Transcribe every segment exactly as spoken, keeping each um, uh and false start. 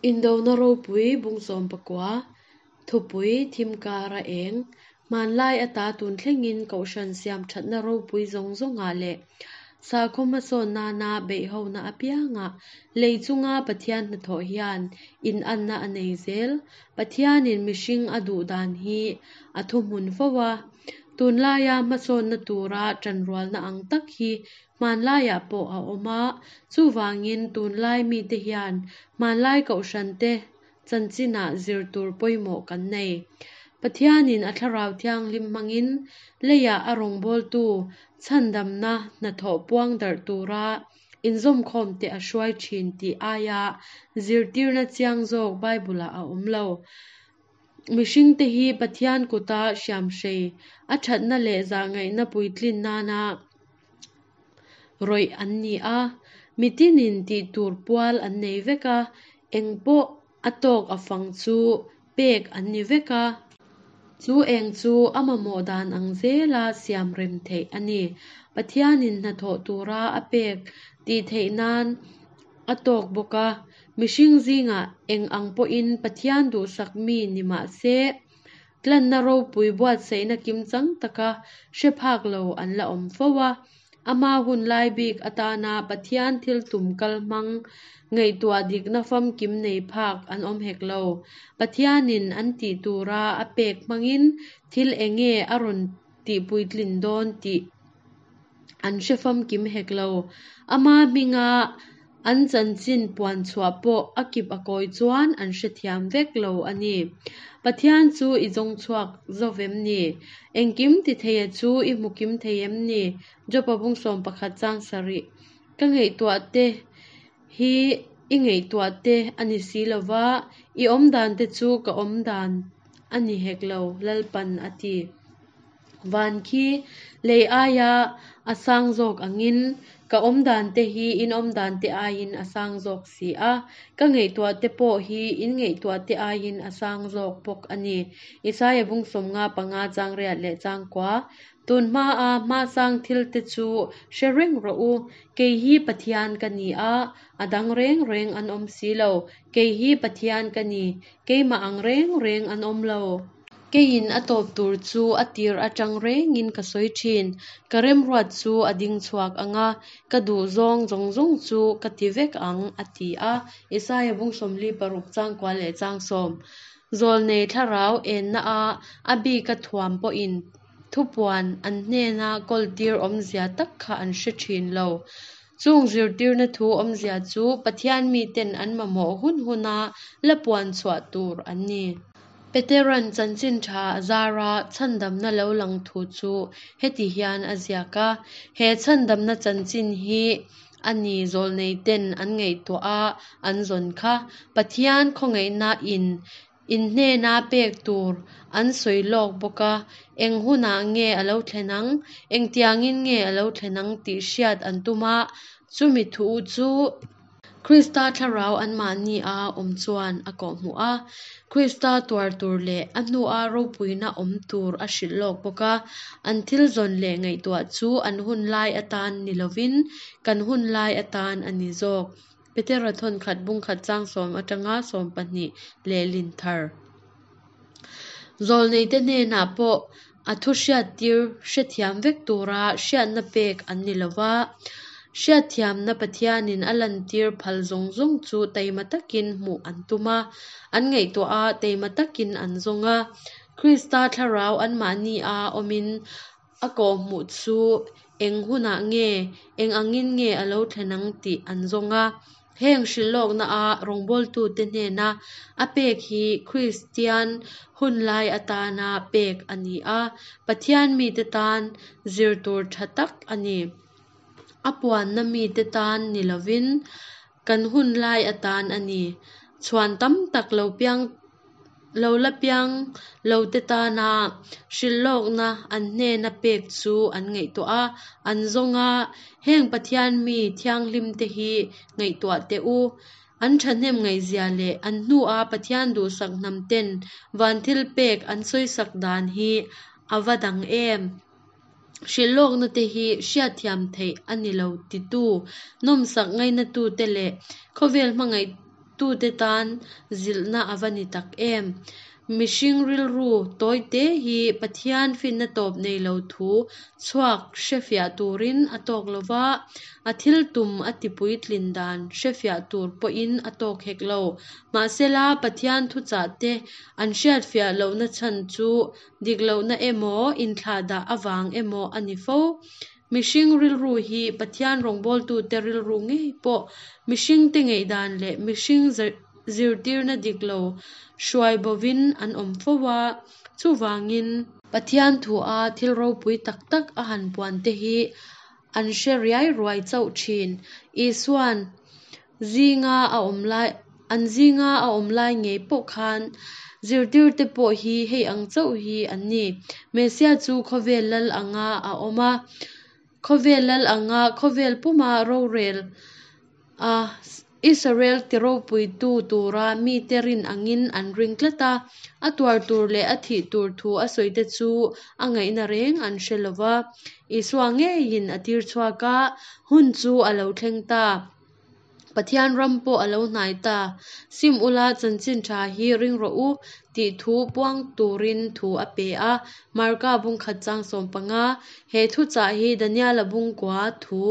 Indona ropui bung sawm pakua, thupui thim kar a eng, hmanlai ata tun thlengin kohhran siam thatna ropui zawng zawngah leh sakhaw hmasawn nana beihhona apiangah lei chunga Pathian hnathawh hian inanna a nei zel. Pathianin mihring a duh dan hi a thuhmun fo a, tunlaia hmasawnna tura tanrualna ang tak hi hmanlaiah pawh a awm a, chuvangin tunlai mite hian hmanlai kohhrante chanchinah zir tur pawimawh kan nei. Pathianin a thlarau thianghlim hmangin leiah a rawngbawltu chhandamna hnathawh puang darh tura inzawmkhawmte a hruai thin tih aia zirtirna chiang zawk Bible-ah a awm lo. Mihringte hi Pathian kuta hriamhrei, a thatna leh zahngaihna puitlin nana rawih an ni a, mitinin tih tur pual an nei vek a, eng pawh a tawk a fang chu pek an ni vek a. Chu eng chu a mamawh dan ang zela siam rem theih a ni. Pathianin hnathawh tura a pek tih theih nan a tawk bawk a, mihring zingah eng ang pawhin Pathian duhsak mi ni mah se, tlanna ropui buatsaihna kimchang taka hre phak lo an la awm fo a. Ama hun lai bik atana Pathian thil tum kal hmang ngaihtuah dikna famkim nei phak an awm hek lo. Pathianin an tih tura a pek hmangin thil enge a rawn tihpuitlin dawn tih an hre famkim hek lo. Ama hminga an chanchin puan chhuah pawh a kip a kawi chuan an hrethiam vek lo a ni. Pathian chu i zawng chhuak zo vem ni? Engkim ti theia chu i hmu kim thei em ni? Jopa bung sawm pakhat chang sarih. Ka ngaihtuah te hi i ngaihtuah te a ni si lova, i awm dan te chu ka awm dan a ni hek lo, Lalpan a ti. Van khi lei aia a sang zawk angin ka awm dan te hi in awm dan te aiin a sang zawk si a, ka ngaihtuah te pawh hi in ngaihtuah te aiin a sang zawk bawk a ni. Isaia bung sawmnga panga chang riat leh chang kua. Tun hmaa hmasang thil te chu hre reng rawh u, kei hi Pathian ka ni a, a dang reng reng an awm si lo. Kei hi Pathian ka ni, keimah ang reng reng an awm lo. Keiin a tawp tur chu a tir atang rengin ka sawi thin. Ka remruat chu a ding chhuak anga, ka duh zawng zawng zawng chu ka ti vek ang, a ti a. Isaia bung sawmli paruk chang kua leh chang sawm. Zawlnei thlarau enna a a bika thuam pawhin thupuan an hnena kawltir awmzia tak kha an hre thin lo. Chung zirtirna thu awmzia chu Pathian miten an mamawh hun huna la puan chhuah tur an ni. Peteran chanchin tha a zara chhandamna lo lang thu chu heti hian a ziak a, he chhandamna chanchin hi a ni zawlnei ten an ngaihtuah a an zawn kha. Pathian khawngaihna in in hnena pek tur an sawi lawk bawk a, eng hunah nge a lo thlen ang, engtiangin nge a lo thlen ang tih hriat an tum a, chumi thu chu Krista thlarau anmahni a awm chuan a kawhhmuh a, Krista tuar tur leh a hnua ropuina awm tur a hrilh lawk bawk a, an thil zawn leh ngaihtuah chu an hun lai atan ni lovin kan hun lai atan a ni zawk. Petera thawn khat bung khat chang sawm atanga sawm pahnih lehlin thar. Zawlneite hnenah pawh a thu hriattir hrethiam vek tura hriatna pek an ni lova, hriatthiamna Pathianin a lantir phal zawng zawng chu taima takin hmuh an tum a, an ngaihtuah a, taima takin an zawng a. Krista thlarau anmahni a awmin a kawhhmuh chu eng hunah nge, eng angin nge a lo thlen ang tih an zawng a. Heng hrilhlawkna a rawngbawltute hnena a pek hi Kristian hun lai atana pek a ni a, Pathian mite tan zir tur tha tak a ni. A puanna mite tan ni lovin kan hun lai atan a ni. Chhuan tam tak lo piang lo la piang lo te tana hrilhlawkna an hnena pek chu an ngaihtuah a, an zawng a, heng Pathian mi thianghlim te hi ngaihtuah teh u. An thahnem ngaihzia leh an hnua Pathian duhsak hnam ten van thil pek an sawisak dan hi a va dang em. Hrilhlawkna te hi hriatthiam theih a ni lo titu, nawmsak ngainatute leh khawvel hmangaih tute tan zilhna a va ni tak em! Mihring rilru tawi te hi Pathian finna tawp nei lo thu chhuak hre fiah turin a tawk lo va, a thil tum a tipuitlin dan hre fiah tur pawhin a tawk hek lo. Mahsela, Pathian thuchahte an hriat fiah lohna chhan chu dik lohna emaw, inthlahdah avang emaw a ni fo. Mihring rilru hi Pathian rawngbawltute rilru ngei pawh mihringte ngaihdan leh mihring zirtirna dik lo hruai bovin an awm fo a, chuvangin Pathian thua thil ropui tak tak a han puante hi an hre riai ruai chauh thin. Isuan zinga a awm lai an zinga a awm lai ngei pawh khan zirtirte pawh hi hei ang chauh hi an ni. Messia chu khawvel lal anga a awm a, khawvel lal anga khawvel puma rorel a Israel tiropuitu tura mite rin angin an ring tlat a, a tuar tur leh a thih tur thu a sawite chu a ngaihna reng an hre lo va. Isua ngeiin a tir chhuak a, hun chu a lo thleng ta. Pathian ram pawh a lo hnai ta. Sim ula chanchin tha hi ring rawh u tih thu puang turin thu a pe a. Marka bung khat chang sawm panga. He thuchah hi Daniela bung kua thu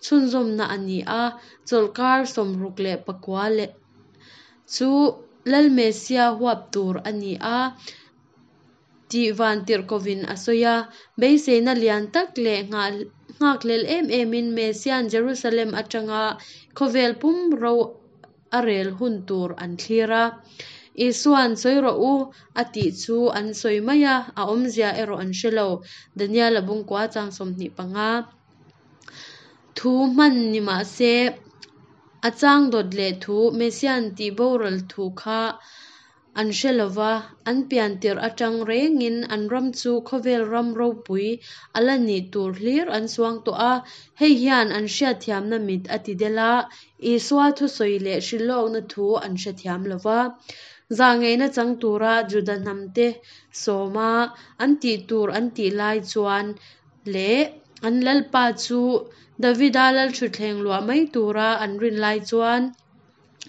chhunzawmna a ni a, chawlhkar sawmruk leh pakua leh chu Lal Messia huap tur a ni a tih vantirhkohvin a sawi a. Beiseina lian tak leh nghakhlel em emin Messian Jerusalem atanga khawvel pum ro a rel hun tur an thlir a. Isuan sawi rawh u a tih chu an sawi mai a, a awmzia erawh an hre lo. Daniela bung kua chang sawmhnih panga. Thu hman ni mah se a chang dawt leh thu Messian tih boral thu kha an hre lo va, an pian tirh atang rengin an ram chu khawvel ram ropui a la nih tur hlir an suang tawh a. Hei hian an hriatthiamna mit a ti del a, Isua thusawi leh hrilhlawkna thu an hrethiam lo va. Zahngaihna chang tura Juda hnamte sawma an tih tur an tih lai chuan leh an lalpa chu Davida lalthutthleng luah mai tura an rin lai chuan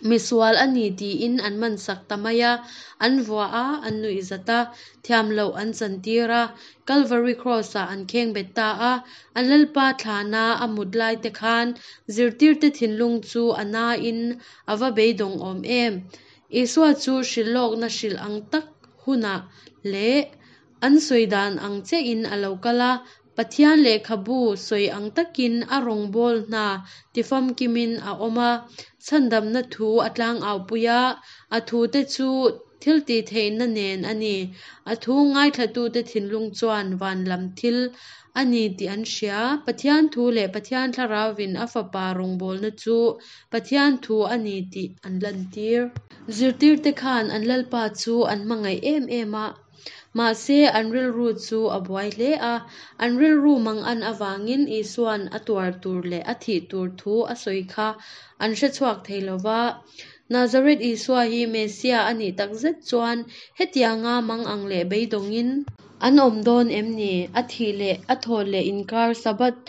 misual a ni tiin an man sak ta mai a, an vua a, an nuih zat a, thiam loh an chantir a, Calvary Cross-ah an kheng bet ta a. An lalpa thlana a mut lai te khan zirtirte thinlung chu a nain a va beidawng awm em! Isua chu hrilhlawkna hrilh ang tak hunah leh an sawi dan ang chiahin a lo kal a, Pathian lehkhabu sawi ang takin a rawngbâwl hna tifamkimin a awm a, chhandamna thu a tlangau pui a, a thute chu thil tihtheihna nen a ni. A thu ngaithlatute thinlung chuan van lam thil a ni tih an hria. Pathian thu leh Pathian Thlarauvin a fapa rawngbawlna chu Pathian thu a ni tih an lantir. Zirtirte khan an lalpa chu an hmangaih em em a, mahse an rilru chu a buai hle a. An rilru mangan avangin Isuan a tuar tur leh a thih tur thu a sawi kha an hre chhuak thei lo va. Nazareth Isua hi Messia a nih takzet chuan hetianga mangang leh beidawngin an awm dawn em ni? A thih leh a thawh leh inkar Sabbath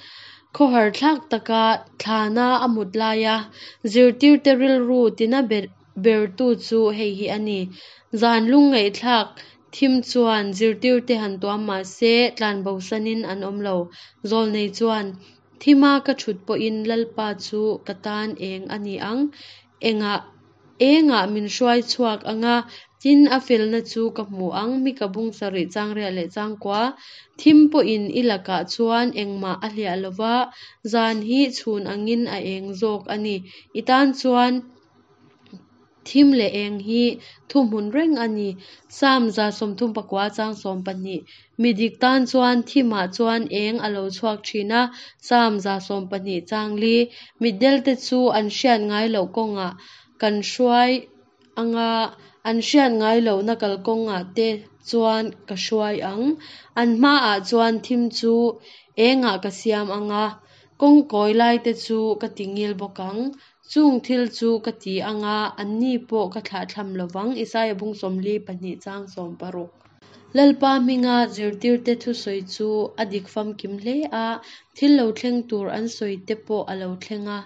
khawhar thlak taka thlana a mut laia zirtirte rilru tina bertu chu hei hi a ni. Zan lungngaihthlak thim chuan zirtirte han tuam mah se tlanbosanin an awm lo. Zawlnei chuan, Thima ka thut pawhin Lalpa chu ka tan eng a ni ang, engah engah min hruai chhuak anga, tin a felna chu ka hmu ang. Mika bung sarih chang riat leh chang kua. Thim pawhin i lakah chuan engmah a hliah lo va, zan hi chhun angin a eng zawk a ni. I tan chuan thim leh eng hi thuhmun reng a ni. Psalm za sawmthum pakua chang sawm pahnih. Mi dik tan chuan thimah chuan eng a lo chhuak thin a. Psalm za sawm pahnih chang li. Mitdelte chu an hriat ngai loh kawngah kan hruai anga, an hriat ngai lohna kalkawngah te chuan ka hruai ang. An hmaah chuan thim chu engah ka siam anga, kawng kawi laite chu ka tingil bawk ang. Chung thil chu ka ti anga, anni pawh ka thlahthlam lovang. Isaia bung sawmli pahnih chang sawm paruk. Lalpa hminga zirtirte thusawi chu a dik famkim hle a, thil lo thleng tur an sawi te pawh a lo thleng a.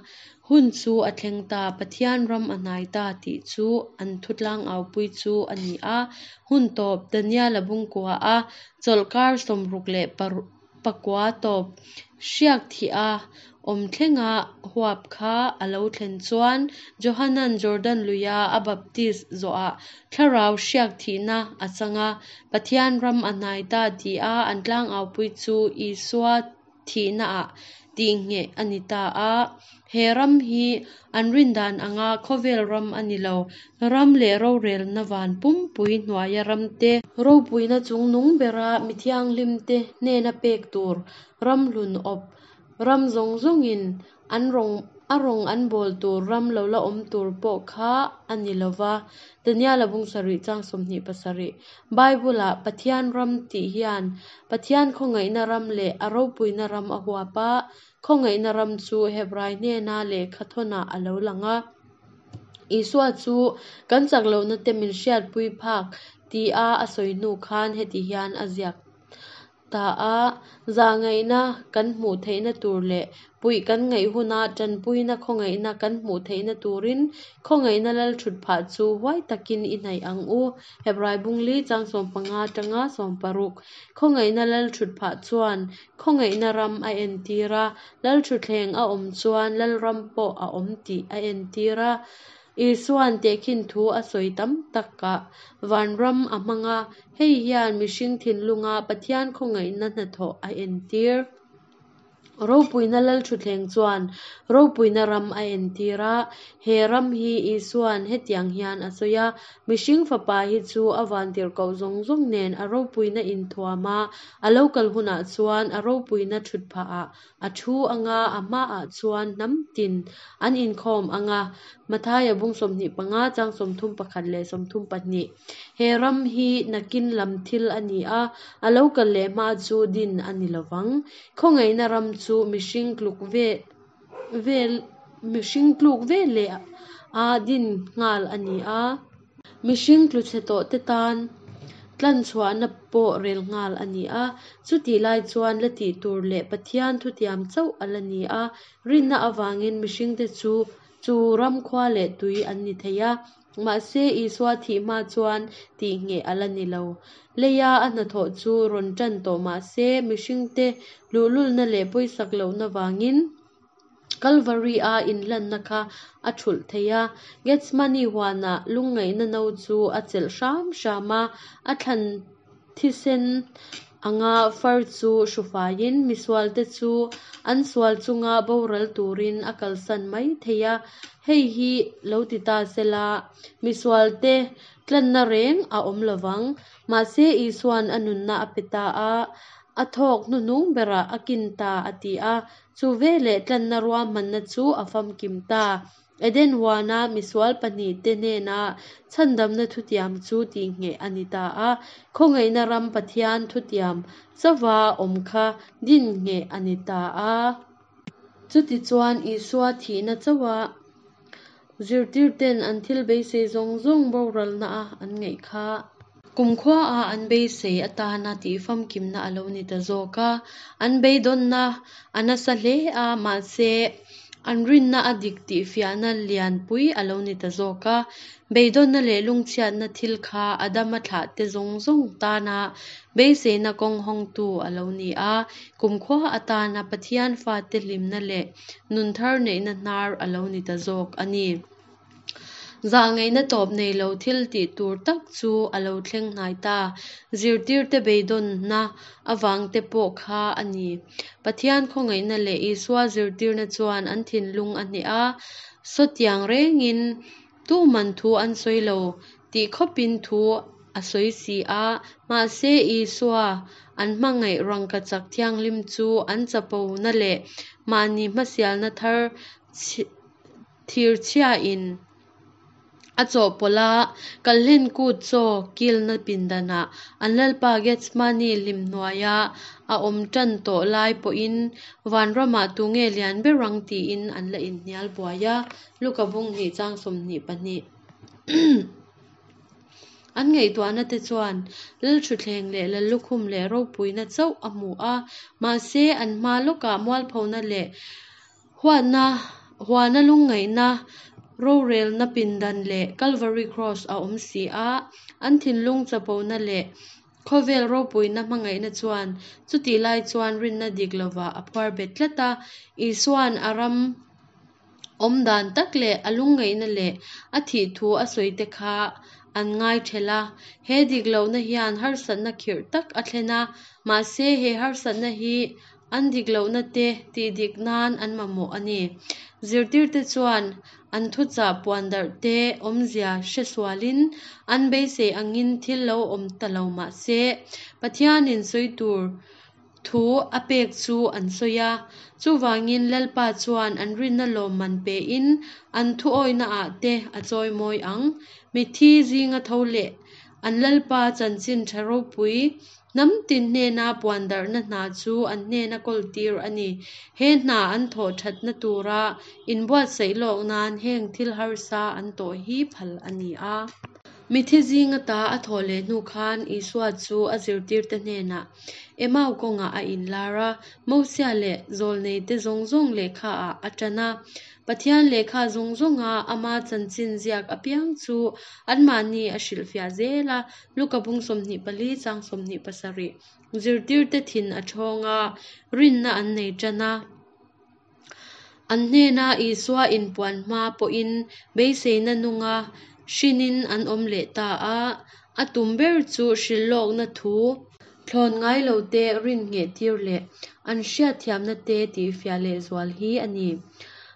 Hun chu a thleng ta, Pathian ram a hnai ta tih chu an thu tlangaupui chu a ni a. Hun tawp, Daniela bungkua a chawlhkar sawmruk leh pakua tawp hriak thih a awm thlenga huap kha a lo thlen chuan Johanan Jordan luia a baptis zawhah thlarau hriak thihna a chang a, Pathian ram a hnai ta tih a an tlangaupui chu Isua thihnaah tihngheh a ni ta a. He ram hi an rindan anga khawvel ram a ni lo, ram leh rorelna van pumpui hnuaia ramte, ropuina chungnung bera mi thianghlimte hnena pek tur ram hlun awp, ram zawng zawngin an rawng a rawng an bawl tur ram lo la awm tur pawh kha a ni lo va. Daniela bung sarih chang sawmhnih pasarih. Bible-ah Pathian ram tih hian Pathian khawngaihna ram leh a ropuina ram a huap a, khawngaihna ram chu Hebrai hnena lehkha thawnah a lo lang a. Isua chu kan chak lohna te min hriatpui phak tia a sawi hnu khan heti hian a ziak ta a, zahngaihna kan hmuh theihna tur leh puih kan ngaih huna tanpuina khawngaihna kan hmuh theihna turin khawngaihna lal thut phah chu huai takin i hnaih ang u. Hebrai bungli chang sawm panga tanga sawm paruk. Khawngaihna lal thut phah chuan khawngaihna ram a entir a, lal thutthleng a awm chuan lal ram pawh a awm tih a entir a. Isuan tehkhin thu a sawi tam takah vanram a hmang a, hei hian mihring thinlunga Pathian khawngaihna hnathawh a entir. Ropuina lal thutthleng chuan ropuina ram a entir a, he ram hi Isuan hetiang hian a sawi a, mihring fapa hi chu a vantirhkoh zawng zawng nen a ropuina inthuam a, a lo kal hunah chuan a ropuina thut phahah a thu anga a hmaah chuan hnam tin an inkhawm anga. Mathaia bung sawmhnih panga chang sawmthum pakhat leh sawmthum pahnih. He ram hi nakin lam thil a ni a, a lo kal leh hma chu din a ni lovang. Khawngaihna ram chu mihring tluk ve vel mihring tluk ve leh a din nghal a ni a. Mihring tlu chhe tawh te tan tlanchhuahna pawh rel nghal a ni a. Chutih lai chuan la tih tur leh Pathian thutiam chauh a la ni a. Rinna avangin mihringte chu chu ram khua leh tui an ni thei a. Mahse Isua thih hma chuan tihngheh a la ni lo. Leia a hnathawh chu rawn tan tawh mahse mihringte luhlulna leh pawisak lohna vangin Calvary a inhlanna kha a thulh thei a. Gethsemane huanah lungngaihna no chu a chelh hram hram a, a thlan thisen anga far chu hrufaiin misualte chu an sual chunga boral turin a kalsan mai thei a. Hei hi lo ti ta sela, misualte tlanna reng a awm lovang. Mahse Isuan a nunna a pe ta a, a thawk hnuhnung berah a kin ta a ti a. Chu veleh tlanna ruahmanna chu a famkim ta. Eden huana misual pahnih te hnena chhandamna thutiam chu tihngheh a ni ta a. Khawngaihna ram Pathian thutiam chauha awm kha din ngheh a ni ta a. Chutichuan Isua thihna chauha zirtirten an thil beisei zawng zawng boralna a an ngaih kha. Kumkhua a an beisei atana tih famkimna a lo ni ta zawk a. An beidawnna a nasa hle a, mahse an rinna a dik tih fiahna lianpui a lo ni ta zawk a. Beidawnna leh lungchhiatna thil kha Adama thlah te zawng zawng tana beiseina kawng hawngtu a lo ni a. Kumkhua atana Pathian fate hlimna leh nun thar neihna hnar a lo ni ta zawk a ni. Zahngaihna tawp nei lo thil tih tur tak chu a lo thleng hnai ta. Zirtirte beidawnna avang te pawh kha a ni. Pathian khawngaihna leh Isua zirtirna chuan an thinlung a hneh a, sawtiang rengin tuman thu an sawi lo tih khawpin thu a sawi si a. Mahse Isua an hmangaih rangkachak thianghlim chu an chapona leh mahni hmasialna thar thirchhiain a chawhpawlh a, kalhlen kut chaw kilna pindanah an lalpa Gethsemane hlim hnuaia a awm tan tawh lai pawhin vanramah tunge lian ber ang tiin an la inhnial buai a. Luka bung hnih chang sawmhnih pahnih. An ngaihtuahna te chuan lal thutthleng leh lal lukhum leh ropuina chauh a hmu a, mahse an hma lawkah mualphona leh huatna Huana lungngaihna, rorelna pindan leh Kalvari Kraws a awm si a. An thinlung chapona leh khawvel ropuina hmangaihna chuan chutih lai chuan rinna dik lovah a phuar bet tlat a. Isuan a ram awm dan tak leh a lungngaihna leh a thih thu a sawi te kha an ngai thelh a. He dik lohna hian harsatna khirh tak a thlen a, mahse he harsatna hi an dik lohna te tih dik nan an mamawh a ni. Zirtirte chuan an thuchah puan darh te awmzia hre sualin an beisei angin thil lo awm ta lo mah se, Pathianin sawi tur thu a pek chu an sawi a. Chuvangin Lalpa chuan an rinna lawmman pein an thu awihnaah te a chawimawi ang. Mitthi zinga tho leh an Lalpa chanchin tha ropui hnam tin hnena puan darhna hna chu an hnena kawltir a ni. He hna an thawh thatna tura inbuatsaih lawk nan heng thil harsa an tawh hi phal a ni a. Mitthi zinga ta a thawh leh hnu khan Isua chu a zirtirte hnenah Emau kawngah a inlar a, Mosia leh zawlneite zawng zawng lehkhaah a tan a. Pathian lehkha zawng zawnga ama chanchin ziak apiang chu anmahni a hrilhfiah zel a. Luka bung sawmhnih pali chang sawmhnih pasarih zirtirte thin a thawng a, rinna an nei tan a. An hnena Isua inpuan hma pawhin beiseina nunga hrinin an awm leh ta a. A tum ber chu hrilhlawkna thu thlawn ngai lote rin ngheh tir leh an hriatthiamna te tihfiah lehzual hi a ni.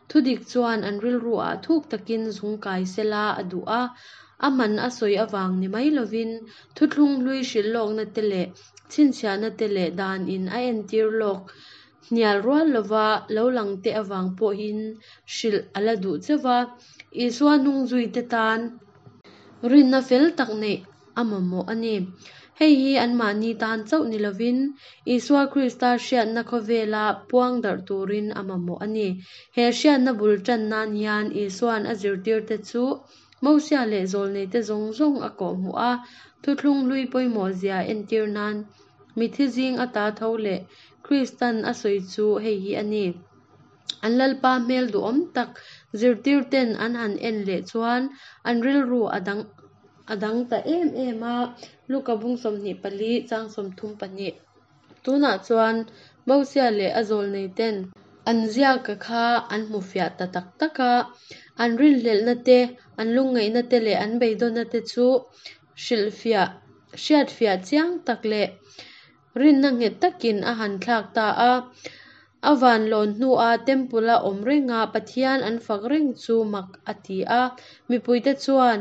Thudik chuan an rilruah thuk takin zung kai sela a duh a, a man a sawi avang ni mai lovin thuthlung hlui hrilhlawkna te leh chhinchhiahna te leh danin a entir lawk hnial rual lova lo lang te avang pawhin hrilh a la duh cheu va. Isua hnungzuite tan rinna fel tak neih a mamawh a ni. Hei hi anmahni tan chauh ni lovin Isua Krista hriatna khawvela puang darh turin a mamawh a ni. He hriatna bul tan nan hian Isuan a zirtirte chu Mosia leh zawlneite zawng zawng a kawhhmuh a, thuthlung hlui pawimawh zia entir nan mitthi zing ata tho leh Kristan a sawi chu hei hi a ni. An Lalpa hmel duhawm tak zirtirten an han en leh chuan an rilru a dang a dang ta em em a. Luka bung sawmhnih pali chang sawmthum pahnih. Tunah chuan Mosia leh a zawlneiten an ziaka kha an hmu fiah ta tak tak a. An rinhlelhna te, an lungngaihna te leh an beidawnna te chu hrilhfiah hriatfiah chiang tak leh rinna nghet takin a han thlak ta a. A van lawn hnua temple a awm renga Pathian an fak reng chu mak a ti a. Mipuite chuan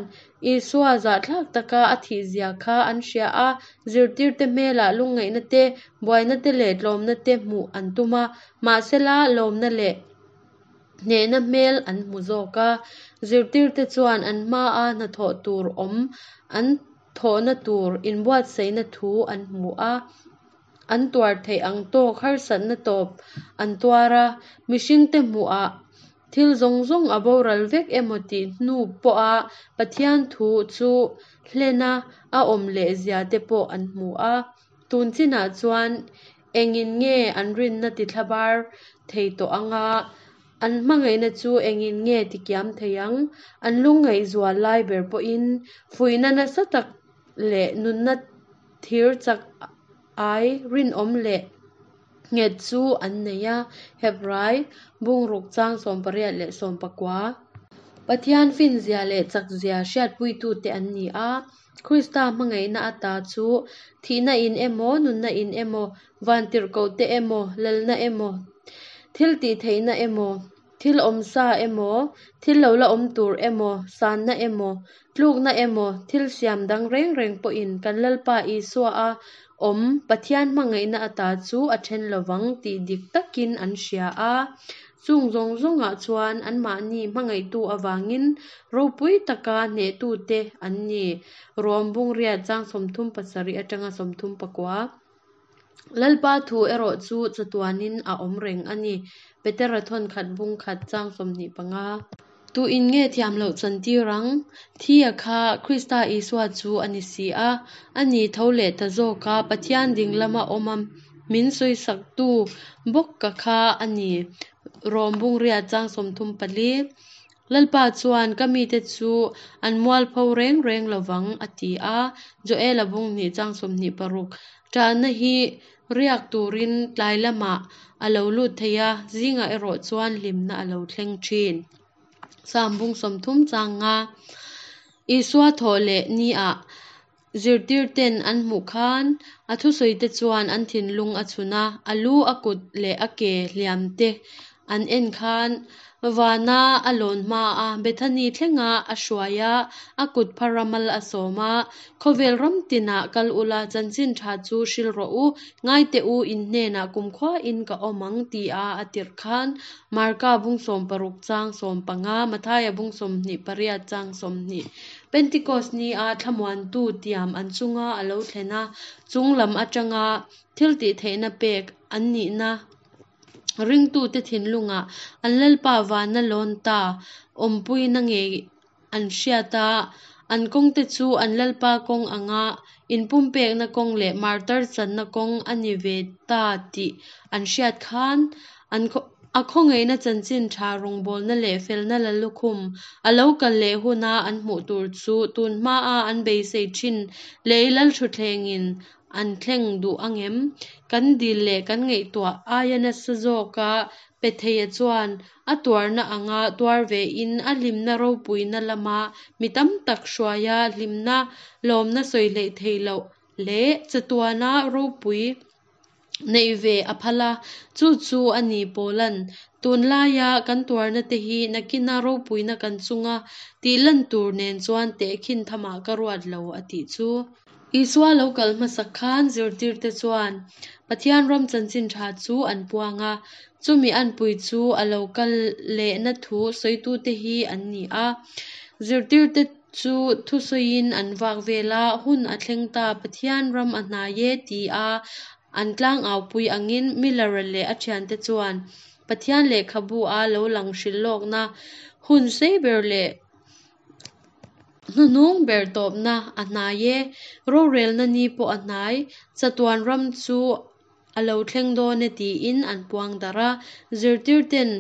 Isua zahthlak taka a thih zia kha an hria a, zirtirte hmelah lungngaihna te, buaina te leh tlawmna te hmuh an tum a, mahsela lawmna leh hnehna hmel an hmu zawk a. Zirtirte chuan an hmaa hnathawh tur awm an thawhna tur inbuatsaihna thu an hmu a. An tuar theih ang tawk harsatna tawp an tuar a, mihringte hmuhah thil zawng zawng a boral vek emaw tih hnu pawha Pathian thu chu hlena a awm leh zia te pawh an hmu a. Tun chinah chuan engin nge an rinna tithlabar thei tawh anga, an hmangaihna chu engin nge tikiam thei ang? An lungngaih zual lai ber pawhin fuihna nasa tak leh nunna thir chak ai rinawm leh nghet chu an nei a. Hebrai bungruk chang sawm pariat leh sawm pakua. Pathian finzia leh chakzia hriatpuitute an ni a. Krista hmangaihna ata chu thihna in emaw, nunna in emaw, vantirhkohte emaw, lalna emaw, thil tih theihna emaw, thil awmsa emaw, thil lo la awm tur emaw, sanna emaw, tlukna emaw, thil siam dang reng reng pawhin kan Lalpa Isua a awm Pathian hmangaihna ata chu a then lovang tih dik takin an hria a. Chung zawng zawngah chuan anmahni hmangaihtu avangin ropui taka hnehtute an ni. Rom bung riat chang sawmthum pasarih atanga sawmthum pakua. Lalpa thu erawh chu chatuanin a awm reng a ni. Petera thawn khat bung khat chang sawmhnih panga. Tu in nge thiam loh chantir ang? Thia kha Krista Isua chu a ni si a. Ani tho leh ta zawk a, Pathian ding lama awm a min sawisaktu bawk ka kha a ni. Rom bung riat chang sawmthum pali. Lalpa chuan ka mite chu an mualpho reng reng lovang a ti a, Joela bung hnih chang sawmhnih paruk. Ṭahna hi riak turin tlai lamah a lo lut thei a, zingah erawh chuan hlimna a lo thleng ṭhin. Sam bung sawmthum chang nga. Isua thawh leh ni-ah zirtirten an hmuh khan a thusawite chuan an thinlung a chhun a, a lu, a kut leh a ke hliam te an en khan vana a lawn hma a, Bethany thlenga a hruai a, a kut phara mal a sawm a, Khawvel ram tinah kal ula, chanchin tha chu hril rawh u, ngai teh u, in hnenah kumkhuain ka awm ang ti a a tirh khan Marka bung sawm paruk chang sawm panga, Mathaia bung sawmhnih pariat chang sawmhnih. Pentecost ni a thlamuantu tiam an chunga a lo thlen a, chung lam atanga thil tih theihna pek an nihna ringtute thinlungah an Lalpa vana lawn ta awmpuina ngei an hriat a, an kawngte chu an Lalpa kawng anga inpumpekna kawng leh martar channa kawng a ni ve ta tih an hriat khan an a khawngaihna chanchin tha rawngbawlna leh felna lallukhum a lo kal leh huna an hmuh tur chu tun hmaa an beisei thin lei lalthutthlengin an thleng duh angem? Kan dil leh kan ngaihtuah aia nasa zawka pe theia chuan a tuarna anga tuar vein a hlimna ropuina lama mi tam tak hruaia hlimna lawmna sawi hleih theih loh leh chatuana ropui neih ve a phal a, chu chu a ni Paulan tunlaia kan tuarna te hi nakina ropuina kan chunga tih lan tur nen chuan tehkhin thamah ka ruat lo a tih chu. Isua lo kal hmasak khan zirtirte chuan Pathian ram chanchin tha chu an puang a, chumi anpui chu a lo kal lehna thu sawitute hi an ni a. Zirtirte chu thusawiin an vak vel a, hun a thleng ta Pathian ram a hnai e ti a an tlang aupui angin Miller-a leh a thiante chuan Pathian lehkhabu a lo lang hrilhlawkna hun sei ber leh hnuhnung ber tawpna a hnai e, rorelna ni pawh a hnai, chatuan ram chu a lo thleng dawn e tiin an puang darh a. Zirtirten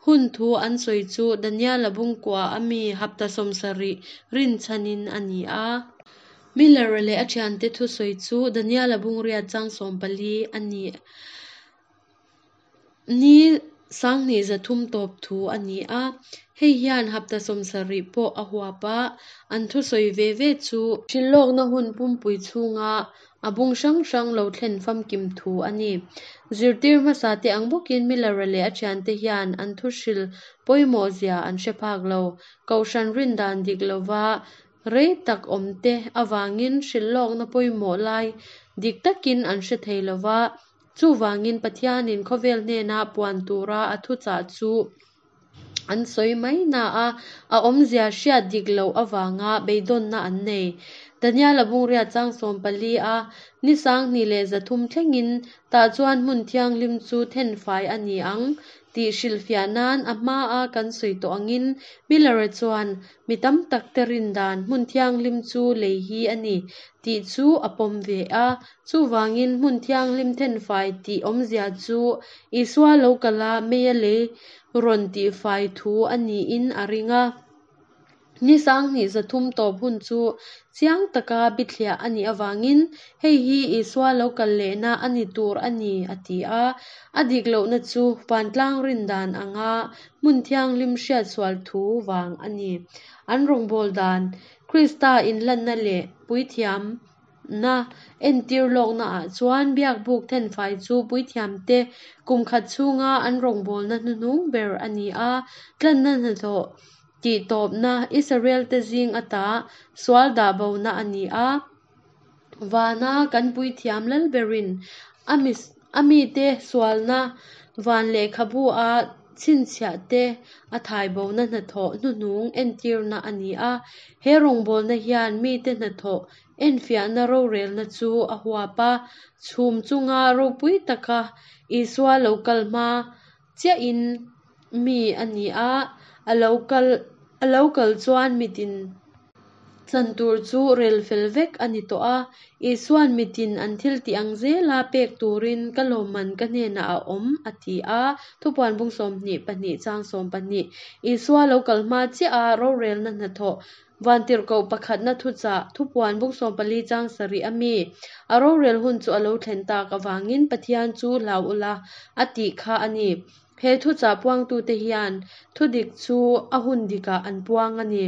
hun thu an sawi chu Daniela bungkua ami hapta sawmsarih rinchhanin a ni a. Miller-a leh a thiante thusawi chu Daniela bung riat chang sawm pali a ni. Ni sanghnih zathum tawp thu a ni a, hei hian hapta sawmsarih pawh a huap a, an thusawi ve ve chu hrilhlawkna hun pumpui chhunga a bung hrang hrang lo thlen famkim thu a ni. Zirtir hmasa te ang bawkin Miller-a leh a thiante hian an thu hril pawimawh zia an hre phak lo. Kohhran rin dan dik lova rei tak awm te awangin hrilhlawkna pawimawh lai dik takin an hre thei lova, chuwangin Pathianin khawvel hnena puan tura a thuchah chu an sawi mai na a, a awmzia hriat dik loh awanga beidawnna an nei. Daniela bung riat chang sawm pali a, ni sanghnih leh zathum thlengin tah chuan hmun thianghlim chu thenfai a ni ang tih hrilhfiah nan a hmaa kan sawi tawh angin Miller-a chuan mi tam tak te rin dan hmun thianghlim chu lei hi a ni tih chu a pawm ve a, chuwangin hmun thianghlim thenfai tih awmzia chu Isua lo kala meia lei rawn tihfai thu a niin a ring a. Ni sanghnih zathum tawp hun chu chiang taka bithliah a nih awangin hei hi Isua lo kal lehna a ni tur a ni a ti a. A dik lohna chu vantlang rin dan anga hmun thianghlim hriat sual thu wang a ni. An rawngbâwl dan Krista inlanna leh puithiam na entir lawkna ah chuan biakbuk thenfai chu puithiam te kum khat chhunga an rawngbawlna hnuhnung ber a ni a, tlanna hnathawh tih tawpna Israel te zing ata sual dah bona a ni a. Vana kan puithiam lalberin ami ami te sualna van lehkhabu a chhinchhiah te a thai bona hnathawh hnuhnung entirna a ni a. He rawngbawlna hian mi te hnathawh enfiahna rorelna chu a huap a, chhum chunga ropui taka Isua lo kal hma chiahin mi a ni a, a lo kal a lo kal chuan mitin Chan tur chu rel fel vek a ni tawh a. Isuan mitin an thil tih ang zela pek turin ka lawmman ka hnenah a awm a ti a. Thupuan bung sawmhnih pahnih chang sawm pahnih. Isua lo kal hma chiah a rorelna hnathawh vantirhkoh pakhatna thuchah Thupuan bung sawm pali chang sarih a mi a rorel hun chu a lo thlen tak avangin Pathian chu hlau ula a tih kha a ni. He thuchah puangtute hian thudik chu a hun dikah an puang a ni.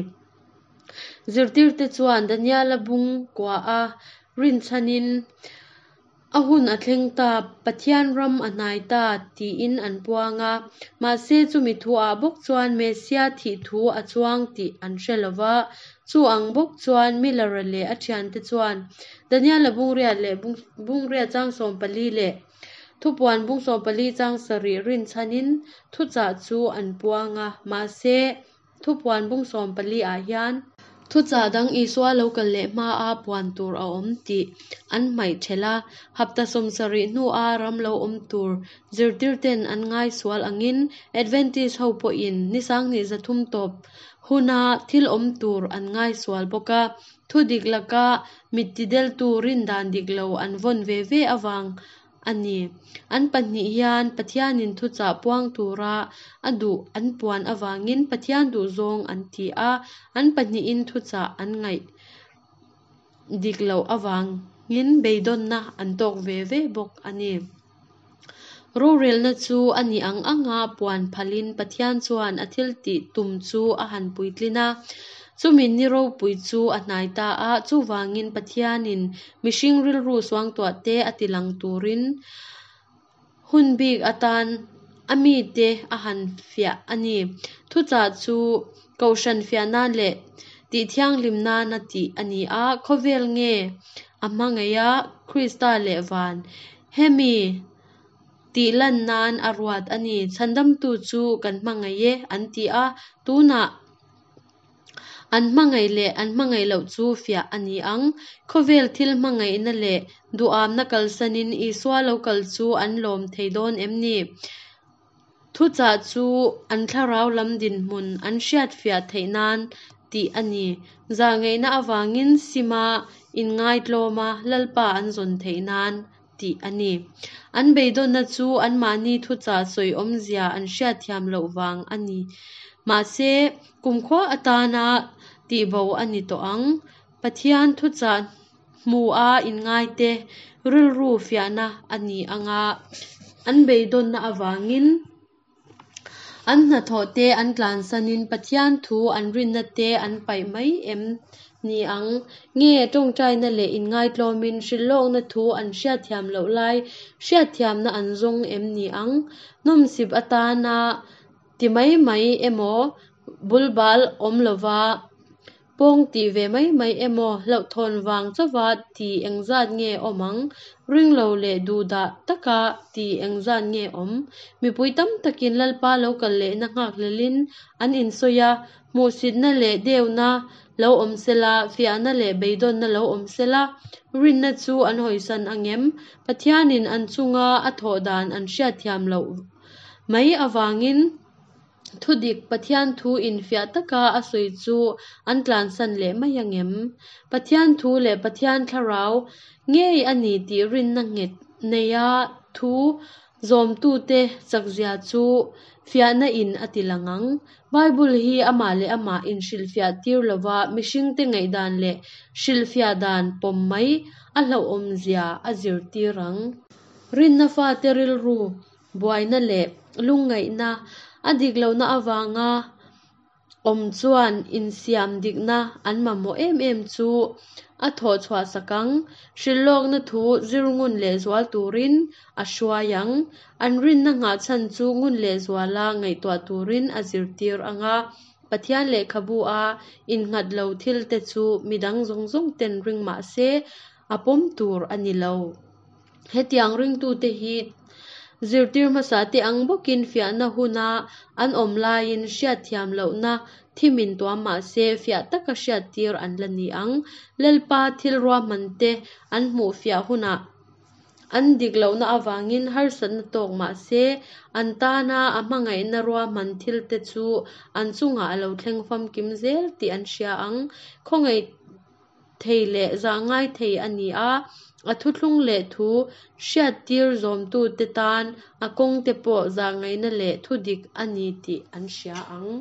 Zirtirte chuan Daniela bung kua a rinchhanin a hun a thleng ta, Pathian ram a hnai ta tiin an puang a. Mahse chumi thu ah bawk chuan Messia thih thu a chuang tih an hre lova. Chu ang bawk chuan Miller-a leh a thiante chuan Daniela bung riat leh bung riat chang sawm pali leh Thupuan bung sawm pali chang sarih rinchhanin thuchah chu an puang a. Mahse Thupuan bung sawm pali ah hian thuchah dang Isua lo kal leh hma a puan tur a awm tih an hmaih thelh a. Hapta sawm sarih hnu a ram lo awm tur zirtirten an ngai sual angin Adventist ho pawhin ni sanghnih zathum tawp huna thil awm tur an ngai sual bawk a. Thudik laka mit tideltu rin dan dik lo an vawn ve ve awang a ni. An pahnih hian Pathianin thuchah puang tura a duh an puan awangin Pathian duh zawng an ti a. An pahnihin thuchah an ngaih dik loh awangin beidawnna an tawk ve ve bawk a ni. Rorelna chu a ni ang anga puan phalin Pathian chuan a thil tih tum chu a han puitlin a. Chumi ni ropui chu a hnai ta a, chuwangin Pathianin mihring rilru suangtuah te a tilang turin hun bik atan a mi te a han fiah a ni. Thuchah chu kohhran fiah nan leh tih thianghlim nana tih a ni a. Khawvel nge a hmangaih a Krista leh van. Hemi tih lan nan a ruat a ni. Chhandamtu chu kan hmangaih e an ti a. Tunah an hmangaih leh an hmangaih loh chu fiah a ni ang. Khawvel thil hmangaihna leh duamna kalsanin Isua lo kal chu an lawm thei dawn em ni. Thuchah chu an thlarau lam dinhmun an hriat fiah theih nan tih a ni. Zahngaihna awangin sima inngai tlawma lalpa an zawn theih nan tih a ni. An beidawnna chu an mahni thuchah sawi awmzia an hriat thiam loh wang a ni. Mahse kumkhua atana tihbo a ni tawh ang. Pathian thuchah hmu a inngai te rilru fiahna a ni anga an beidawnna awangin an hnathawh te an tlansanin Pathian thu an rinna te an paih mai em ni ang. Nge tawngtaina leh inngai tlawmin hrilhlawkna thu an hriat thiam loh lai hriat thiamna an zawng em ni ang. Nawmsip atana ti mai mai emaw bulbal awm lova pawng ti ve mai mai emaw hlauhthawn wang chawa ti engzat nge awm ang. Ring lo leh duhdah taka ti engzat nge awm. Mipui tam takin lalpa lo kal leh na nghak hlelin an insawi a. Hmuhsitna leh deuhna lo awm sela, fiahna leh beidawnna lo awm sela. Rinna chu an hawisan angem. Pathianin an chunga a thawh dan an hriat thiam loh mai awangin thudik Pathian thu in fiah taka a sawi chu an tlansan leh mai angem. Pathian thu leh Pathian thlarau ngei a ni tih rinna nghet nei a thu zawmtute chakzia chu fiahna in a tilang ang. Bible hi amah leh amah in hrilhfiah tir lova mihringte ngaihdan leh hrilhfiah dan pawm mai a hlauhawmzia a zir tir ang. Rinna fate rilru buaina leh lungngaihna a dik lohna awanga awm chuan insiam dikna an mamawh em em chu a thawh chhuah sak ang. Hrilhlawkna thu zir ngun leh zual turin a hruai ang. An rinna nghah chhan chu ngun leh zuala ngaihtuah turin a zir tir anga. Pathian lehkhabu a innghat lo thil te chu midang zawng zawng ten ring mahse a pawm tur a ni lo. Hetiang ringtute hi zirtir hmasa te ang bawkin fiahna huna an awm laiin hriat thiam lohna thimin tuam mahse fiah taka hriat tir an la ni ang. Lalpa thil ruahman te an hmuh fiah hunah an dik lohna awangin harsatna tawk mahse an tana a hmangaihna ruahman thil te chu an chungah a lo thleng famkim zel tih an hria ang. Khawngaih thei leh zahngai thei a ni a, a thuthlung leh thu hriattir zawmtute tan a kawngte pawh zahngaihna leh thudik a ni tih an hria ang.